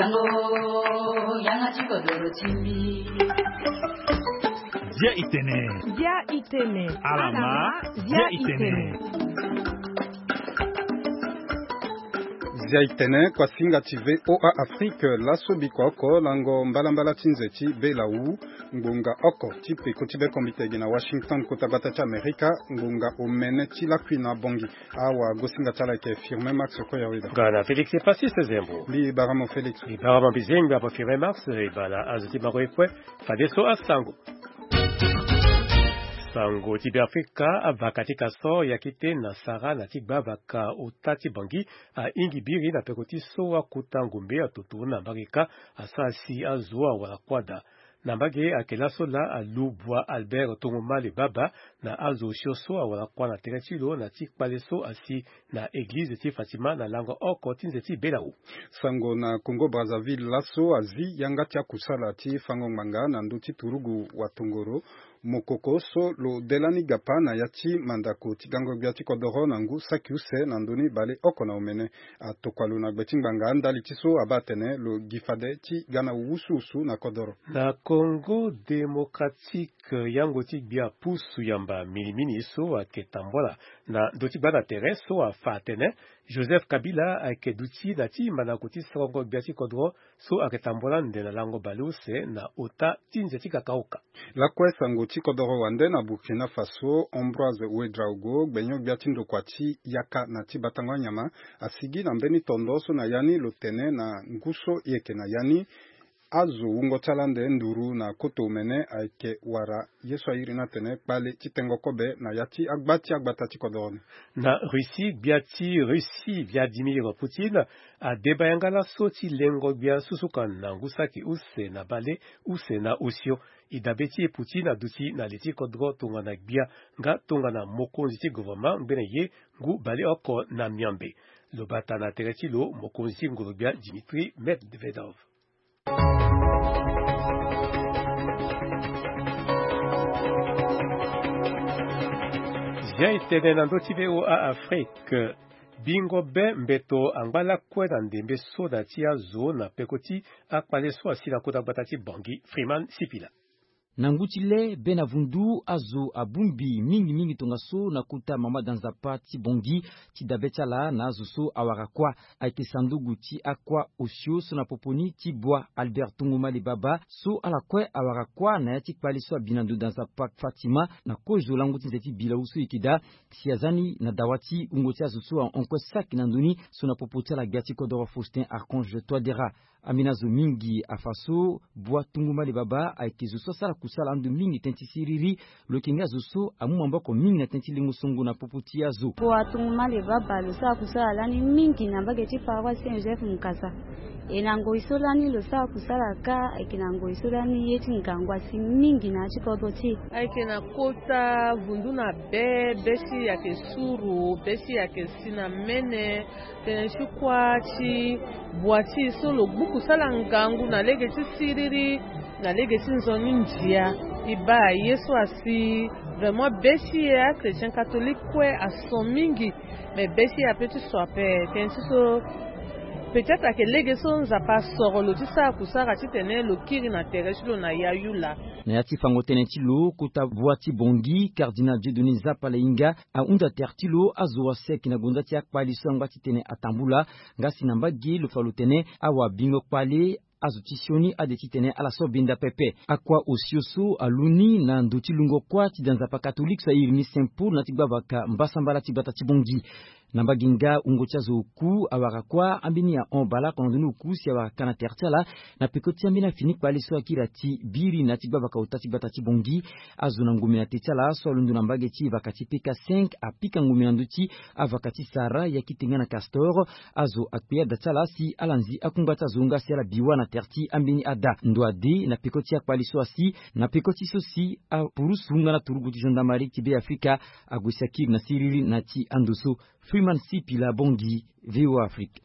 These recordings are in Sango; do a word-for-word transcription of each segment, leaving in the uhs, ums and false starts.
Dia itene. Dia itene. Alama. Dia itene. Dia itene, kuasinga ti V O A Afrique. Laso biko oko lango mbalambala ti nze ti Belau, ngbonga oko ti peko ti bekombite gi na Washington, kota gbata ti Amerika, ngbonga omene ti lakui na Bongi. Awa gosinga ti ala ayeke Firmin Max Koyaweda. Nga na Félix Passis Zembo. Mbi bara mo Félix. Mbi bara mo mbi zengbi abo Firmin Max, e bana azo ti bango ye kue. Fadeso asango. Sango ti Beafrika, avaka ti kaso ya kite na sara na ti gbavaka ota ti Bangi, ahingi biri na peko ti so akota ngombe atoto na mbage ka, asara si azo awara kuâ daa. Na mbage ayeke laso laa alu bua Albert Tongomale Baba na azo osio so awara kuâ na tere ti lo na ti kpale so asi na eglize ti Fatima na lango oko ti nze ti Belau. Sango na Congo Brazzaville, laso azi yanga ti akusala ti fango ngbanga na ndö ti turugu watongoro mokoko so lo de lani gapa na ya ti mandako ti gango gbia ti kodoro na ngu saki use na ndö ni baleoko na omene. Atokua lo na gbe ti ngbanga ndali ti so abaa atene lo gi fade ti ga na wusuwusu na kodoro. Na Congo Démocratique, yango ti gbia pusu yamba minimini so ayeke tambula na ndö ti gbanda tere so afa atene Joseph Kabila ayeke duti na ti mandako ti sango gbia ti kodoro so ayeke tambula ande na lango baleuse na ota ti nze ti Kakaoka. Lakue sango ti kodoro wande na Burkina Faso, Ambroise Ouédraogo, gbenyo-gbia ti ndokua ti yaka na ti batango anyama, asigi na mbeni tondo so na ya ni lo tene na ngu so e yeke na ya ni, azo wungo ti ala ande nduru na koto omene ayeke wara ye so airi ni atene kpale ti tengo kobe na ya ti agba ti agbata ti kodoro ni. Na Russie, gbia ti Russie Vladimir Poutine adeba yanga laso ti lengo gbia susuka na ngu saki use na baleuse na osio. E dabe ti e Poutine aduti na li ti kodro tongana gbia nga tongana mokonzi ti gouvernement ngbene ye ngu baleoko na miombe. Lo bata na tere ti lo mokonzi ti ngoro-gbia Dmitry Medvedev. Zia e tene na ndö ti V O A Afrique. Bingo be mbeto angba lakue na ndembe so na ti azo na peko ti akpale so asi na kota gbata ti Bangui, Freeman Sipila. Na ngu ti le be na vundu azo abongbi mingi mingi tongaso na kota mama da nzapa ti Bangui ti dabe ti ala na azo so awara kuâ. Ayeke sanduku ti akuâ osio so na popo ni ti bua Albert Tongomale Baba so ala kue awara kuâ na ya ti kpale so abi na ndo da nzapa Fatima na kozo lango ti nze ti Bilawu so e yeke daa. Si aza ni na dawa ti wungo ti azo so ahon kue saki na ndö ni so na popo ti ala gbia ti kodoro Faustin Archange Touadéra. Ambeni azo mingi afa so bua Tongomale Baba ayeke zo so asara kusala ando mingi tënë ti siriri. Lo yeke nga zo so amu maboko mingi na tënë ti lengo songo na popo ti azo. Bua Tongomale Baba lo sara kusala lani mingi na mbage ti paroisse Saint Joseph Mukasa. E na ngoi so lani lo sara kusala kâ ayeke na ngoi so lani ye ti ngangu asi mingi na ya ti kodro ti e. Ayeke na kota vundu na be, be si ayeke suru, be si ayeke si na mene. Tënë ti kuâ ti bua ti e so lo gbu kusala ngangu na lege ti siriri, na lege ti nzoni ndia. E baa ye so asi vraiment be ti e achrétien catholique kue ason mingi. Me be ti e ape ti so ape tënë ti so peut-être ayeke lege so Nzapa asoro lo ti sara kusara titene lo kiri na tere ti lo na yayu laa. Na ya ti fango tënë ti lo kota bua ti Bangui, cardinal Dieudonné Nzapa Lainga ahunda tere ti lo azo asi ayeke na gonda ti akpale so angba titene atambula. Nga si na mbage lo fa lo tene awabingo kpale azo ti sioni ade titene ala so benda pepe. Akuâ osio so alu ni na ndo ti lungo kuâ ti da nzapa katolike so airi ni Saint Paul na ti gbavaka mbasambala ti gbata ti Bangui. Na mbage nga wungo ti azo oku awara kuâ, ambeni ahon baleoko na ndoni oku si awara ka na tere ti ala. Na peko ti ambeni afini kpale so akiri ati biri na ya ti gbavaka ota ti gbata ti Bangui. Azo na ngombe na te ti ala so alondo na mbage ti vaka ti P K cinq apika ngombe na ndö ti avaka ti Sahara ya kite nga na Castor. Azo akpe ada ti ala si ala nzi akungba ti azo nga si ala bi wâ na tere ti ambeni ada. Ndo ade na peko ti akpale so asi na peko ti so si apurusu nga na turugu ti gendarmerie ti Beafrika ague si akiri na siriri na ti ando so. Freeman Sipila Bangui, V O A Afrique.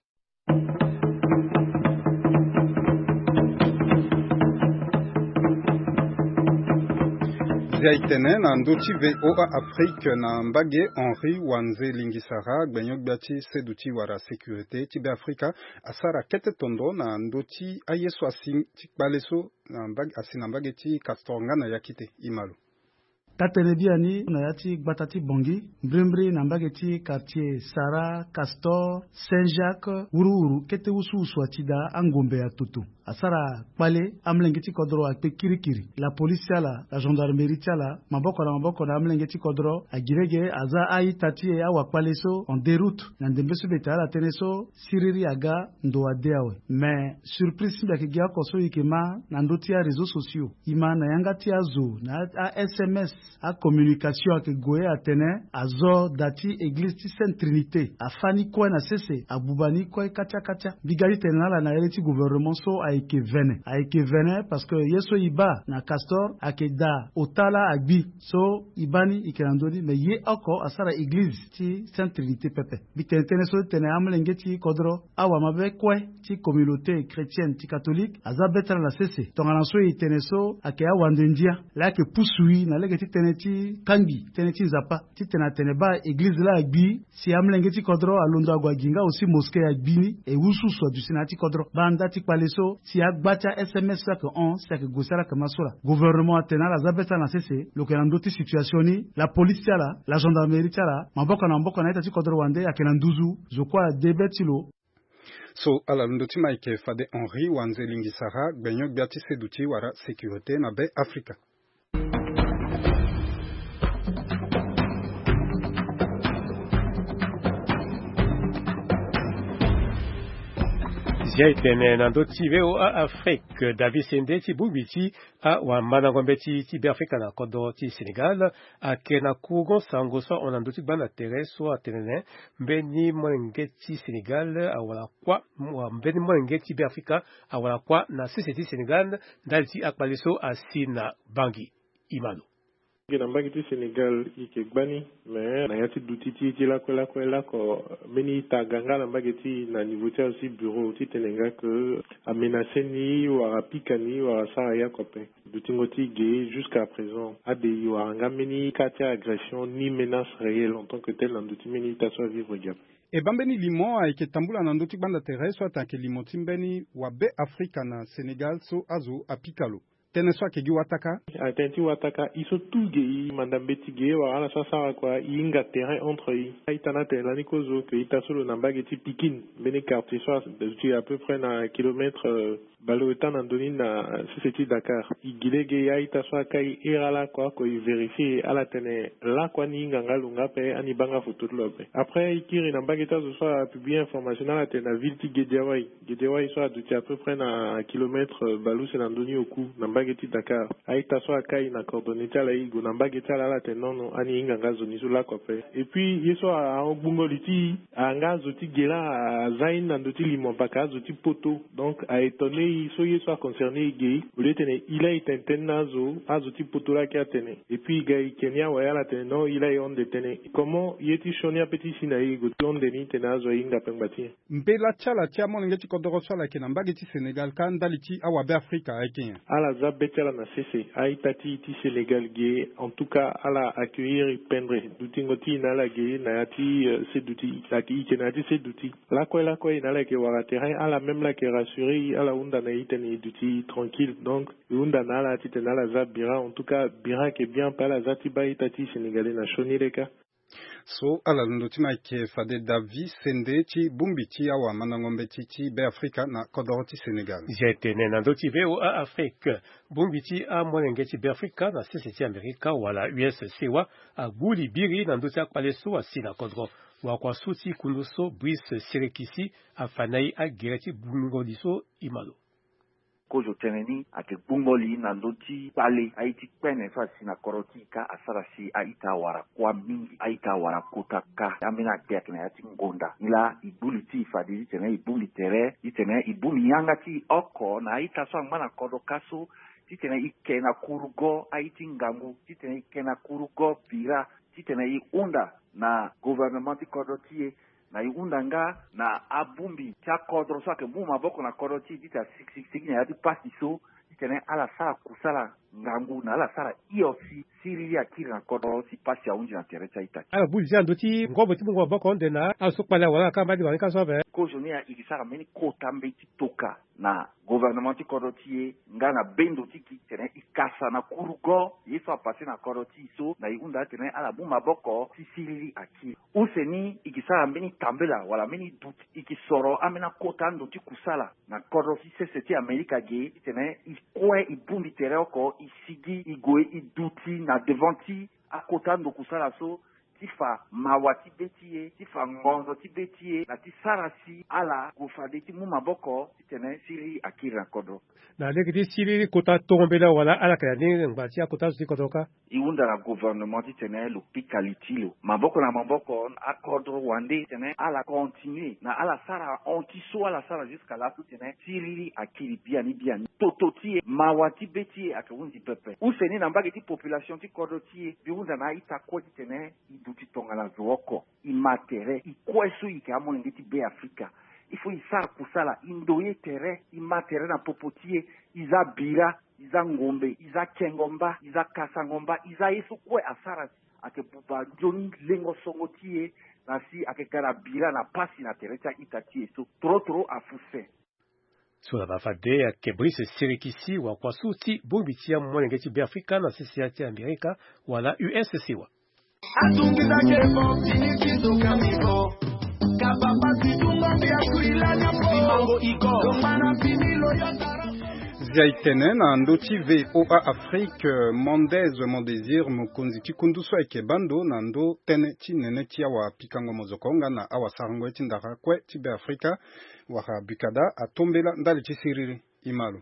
Ya e tene na ndö ti VOA Afrique na mbage, Henri Wanze Lingisara, gbenyo-gbia ti seduti wala sécurité ti Beafrika, asara kete tondo na ndö ti aye so asi ti kpale so na mbage, asi na mbage ti Castor nga na ya kite. Imalo. Taa-tënë biani na ya ti gbata ti Bangui, mbrimbri na mbage ti quartier Sara, Castor, Saint-Jacques, wuruwuru kete wusuwusu ati daa angombe ya toto. Asara kpale, amolenge ti kodro akpe kirikiri. La police ti ala, la gendarmerie ti ala, maboko na maboko na amolenge ti kodro, agi lege aza a-ita ti e, awakpale so en déroute. Na ndembe so mbi tene ala tënë so, siriri aga, ndo ade awe. Mais surprise ti mbi ayeke gi oko so e yeke ma na ndö ti aréseaux sociaux. E ma na yanga ti azo, na a-S M S, acommunication ayeke gue atene azo da ti église ti Sainte Trinité afâ ni kue na sese, abuba ni kue katia katia. Mbi ga ti tene na ala na ere ti gouvernement so ayeke vene. Ayeke vene parce que ye so e baa na Castor ayeke da ota laa agbi. So e baa ni e yeke na ndö ni, mais ye oko asara église ti Sainte Trinité pepe. Mbi tene tënë so ti tene amolenge ti kodro, awamabe kue ti communauté chrétienne ti catholique aza be ti ala na sese. Tongana so e tene so ayeke awande ndia laa ayeke pusu e na lege ti tënë ti kangbi tënë ti Nzapa, ti tene atene baa église laa agbi, si amolenge ti kodro alondo ague agi nga aussi mosquée agbi ni, e wusuwusu aduti na ya ti kodro. Baa nda ti kpale so, si agba ti a-S M S so ayeke hon, si ayeke gue si ala yeke ma so laa. Gouvernement atene ala za be ti ala na sese, lo yeke na ndö ti situation ni, la police ti ala, la gendarmerie ti ala, maboko na maboko na a-ita ti kodro wande ayeke na nduzu, zo kue ade be ti lo. So ala londo ti ma ayeke fade Henri Wanze Lingisara, gbenyo-gbia ti seduti wala sécurité na Beafrika. Zia e tene na ndö ti VOA Afrique, David Sende ti bongbi ti awamandango mbeti ti Beafrika na kodro ti Sénégal ayeke na kurugo sango so ahon na ndö ti gbanda tere so atene mbeni molenge ti Sénégal awara kuâ, mbeni molenge ti Beafrika awara kuâ na sese ti Sénégal ndali ti akpale so asi na Bangui. Imalo. Ge na mbage ti Sénégal e yeke gbani, mais na ya ti duti ti e ti lakue lakue lako, mbeni ita aga nga na mbage ti e na niveau ti azo ti bureau ti tene nga ke amenace ni wala apika ni wala asara ye oko ape. Dutingo ti e ge jusqu'à présent ade e wara nga mbeni cas ti agression ni menace réelle en tant que tel na ndö ti mbeni ita so avivre ge ape. E baa mbeni limo ayeke tambula na ndö ti gbanda tere so atene ayeke limo ti mbeni wabeafrika na Sénégal so azo apika lo. Tënë so ayeke gi wataka. Atënë ti wataka, e so tout ge e manda mbeti ge wala ala so asara kua e hinga terrain entre e. A-ita ni atene lani kozo ke ita so lo na mbage ti Pikine, mbeni quartier so aduti à peu près na kilomètre, euh, baleota na ndö ni na sese ti Dakar. E gi lege a-ita so akai ere ala kua oko e vérifier ala tene lakua ni hinga nga lo nga ape, ani baa nga foto ti lo ape. Après e kiri na mbage ti azo so apublier information ni ala tene na ville ti Guédiawaye. Guédiawaye so aduti à peu près na kilomètre, euh, baleuse na ndö ni oku na mbage ti Dakar. A-ita so akai na coordonnée ti ala e gue na mbage ti ala ala tene non non ani hinga nga zo ni so lako ape. Et puis ye so ahon gbungo li ti e, a nga azo ti ge laa aza ye ni na ndö ti limo paka azo ti poto. Donc a étonné e so ye so aconcerné e ge. Au lieu ti tene e laa e tene tënë na azo, azo ti poto laa ayeke atene. Et puis e ga e ke ni awe ala tene non e laa e honde tënë. Comment ye ti sioni ape ti si na e e gue ti honde ni tene azo ahinga ape ngba ti nyen? Mbela ti ala ti amolenge ti kodoro so ala yeke na mbage ti Sénégal kâ ndali ti awabeafrika ayeke nyen? Ala za be ti ala na sese. A-ita ti e ti Sénégal ge, en tout cas ala accueillir e pendre. Dutingo ti e na ala ge na ya ti, euh, seduti. Ayeke e yeke na ya ti seduti. Lakue lakue e na ala yeke wara terrain, ala même laa ayeke rassurer e, ala hunda na e titene e duti tranquille. Donc e hunda na ala titene ala za bira. En tout cas bira ayeke bien ape, ala za ti baa a-ita ti e Sénégalais na sioni leka. So ala londo ti ma ayeke fade David Sende ti bongbi ti awamandango mbeti ti Beafrika na kodoro ti Sénégal. Zia e tene na ndö ti VOA Afrique, bongbi ti amolenge ti Beafrika na sese ti Amerika wala U S C wa agbu li biri na ndö ti akpale so asi na kodro. Wakua so ti kundu so Brice Sirekisi afa na e agere ti gbungo li so. Imalo. Kozo tënë ni ayeke gbungo li na ndö ti kpale aye ti kpene so asi na kodro ti e kâ asara si a-ita awara kuâ mingi, a-ita awara kota kâ. Ambeni akpe ayeke na ya ti ngonda. Nilaa e gbu li ti e fade titene e bongbi tere, titene e bongbi yanga ti e oko na a-ita so angba na kodro kâ so, titene e ke na kurugo aye ti ngangu, titene e ke na kurugo bira, titene e hunda na gouvernement ti kodro ti e, na e hunda nga na abongbi ti akodro so ayeke mu maboko na kodro ti e ti tene asikisikisiki na ya ti pasi so. titene ala sara kusala ngangu na ala sara hio si siriri akiri na kodro si pasi ahunzi na tere ti a-ita ti. Ala gbu li ti ala ndö ti ngobo ti mungo maboko ande na ala so kpale awara ala kamba ti bangi ka so ape. Kozoni e sara mbeni kota mbeti toka na gouvernement ti kodro ti e nga na bendo ti gi titene e kasa na kurugo ye so apase na kodro ti e so na e hunda titene ala mu maboko si siriri akiri. Use ni e ke sara mbeni tambela wala mbeni duti e ke soro ambeni akota ando ti kusala na kodro ti sese ti Amerika ge titene e kue e bongbi tere oko e sigi e gue e duti na devant ti akota ando kusala so ti fa mawa ti be ti e ti fa ngonzo ti be ti e na ti sara si ala gue fade ti mu maboko titene siriri akiri na kodro. Na lege ti siriri kota tongo mbela wala ala yeke na ni ngba ti akota zo ti kodro kâ. E hunda na gouvernement titene lo pika li ti lo maboko na maboko akodro wande titene ala continue na ala sara hon ti so ala sara jusqu'à laso titene siriri akiri biani biani toto ti e mawa ti be ti e ayeke hunzi pepe. Use ni na mbage ti population ti kodro ti e mbi hunda na a-ita kue titene e duti tongana zo oko e ma tere e kue so e yeke amolenge ti Be Afrika. Il faut e sara kusala e ndoye tere e ma tere na popo ti e. E za bira e za ngombe e za kengo mba e za kasango mba e za ye so kue asara si ayeke buba nzoni lengo songo ti e na si ayeke ga na bira na pasi na tere ti a-ita ti e so toro toro afuse. So na bafade ayeke Brice Sirikisi wakua so ti bongbi ti amolenge ti Be Afrika na sese ti Amerika wala U S siwa. Zia e tene na ndö ti V O A Afrique, Mendez Mondésir, mokonzi ti kundu so ayeke baa ndo na ndö tënë ti nene ti awapikango mozoko nga na awasarango ye ti ndara kue ti Be Afrika wala bukada atombela ndali ti siriri. E ma lo.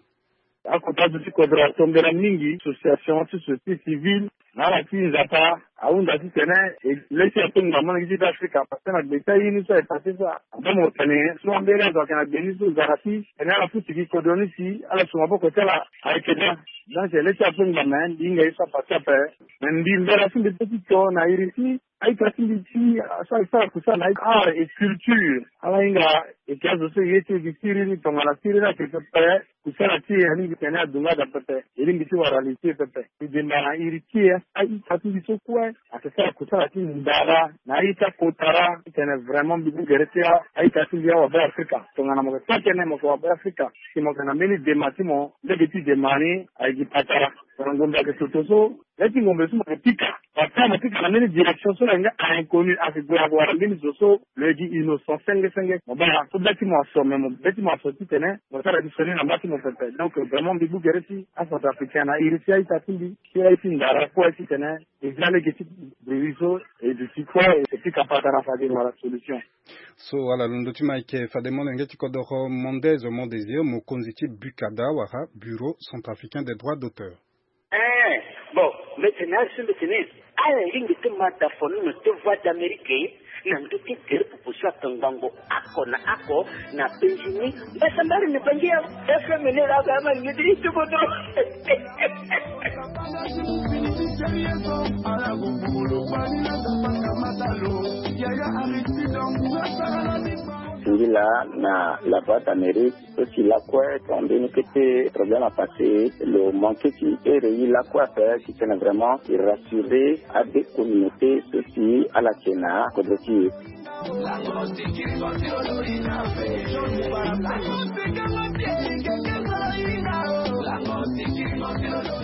Akota zo ti kodro atombela mingi, association ti société civile na ala ti nzapa ahunda titene e le ti ato ngbanga molenge ti Be Afrika parce que na gbe ti aye ni so aye passe so aba mo tene so ambeni azo ayeke na gbe ni so zara ti tene ala futi gi kodro ni si ala su maboko ti ala ayeke daa. Donc e le ti ato ngbanga mbi hinga ye so apasse ape. Me mbi mbela ti mbi pe ti to na iri ti a-ita ti mbi ti so asara kusala na art et culture. Ala hinga e ke azo so e ye ti e gi siriri tongana siriri ayeke pepe. Kusala ti e alingbi tene adunga daa pepe. E lingbi ti wara li ti e pepe. E demba na iri ti e a-ita ti mbi so kue ayeke sara kusala ti ndara na a-ita kotara titene vraiment mbi mu gere ti a-ita ti mbi awabe Afrika. Tongana mo yeke sara tënë mo yeke wabe Afrika si mo yeke na mbeni dema ti mo lege ti dema ni ayeke gi patara. Tongana ngombe ayeke toto so le ti ngombe so mo yeke pika. Parce que mo pika na mbeni direction so lo yeke nga a inconnu ayeke gue ayeke wara mbeni zo so lo yeke gi innocent senge senge. Mo baa so be ti mo aso me mo be ti mo aso titene mo sara gi so ni na mba ti mo pepe. Donc vraiment mbi gbu gere ti acentrafricain na iri ti a-ita ti mbi ti aye ti ndara kue titene e za lege ti bruit so e duti kue e pika patara fade wala solution. So ala londo ti ma eke fade molenge ti kodoro Mendez Mondésir, mokonzi ti bukada wala Bureau Centrafricain des Droits d'Auteur. Ee, bon, mbi tene asi mbi tene ala lingbi ti ma dafoni na te Voix d'Amérique na ndö ti gere popo so ake ngango oko na oko na Benjini. Mbi sambari ni bangi ya F M ni la ga ma ni ti ti bodo. Singila na La Voix d'Amérique. So si lakue ton mbeni kete problème apassé lo manqué ti ere ye lakue ape titene vraiment e rassurer ade communauté so si ala yeke na kodro ti e.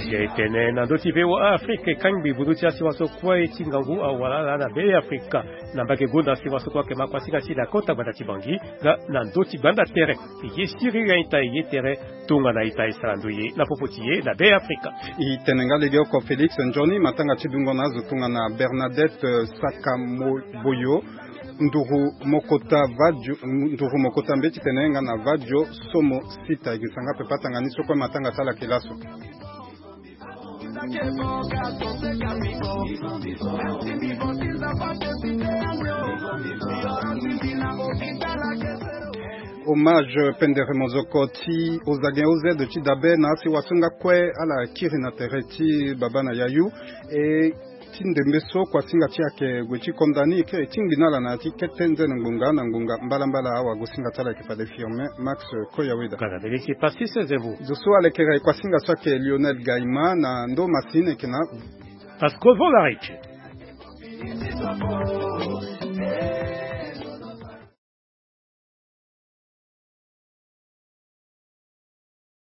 Ye tene na ndö ti V O A Afrique kangbi bundu ti asiwa so kue ti ngangu awara ala na Be Afrika. Na mbage gonda asiwa so kue ayeke ma kuasinga ti na kota gbata ti Bangi nga na ndö ti gbanda tere. E ye siriri a-ita e ye tere tongana ita e sara ndoye na popo ti e na Be Afrika. E tene nga legeoko Félix Nzoni, matanga ti dungo na azo tongana Bernadette Sakamoboyo, nduru mokota vadio, nduru mokota mbeti tene nga na vadio somo sita. E gi sanga pepe atanga ni so kue matanga ti ala yeke laso. Hommage pendere mozoko ti Ozagen O Z ti dabe na asiwa so nga kue ala kiri na tere ti baba na yayu. E Ti ndembe so kuasinga ti ayeke gue ti konda ni eke ti ngbi na ala na ya ti kete nzene ngbonga na ngbonga mbalambala awagosinga ti ala ayeke fade firme max koyaweda. Kala bele si pasi seze vo. Zo so alekere kuasinga so ayeke lionel gaima na ndo masine eke na. Parce que vo la rece.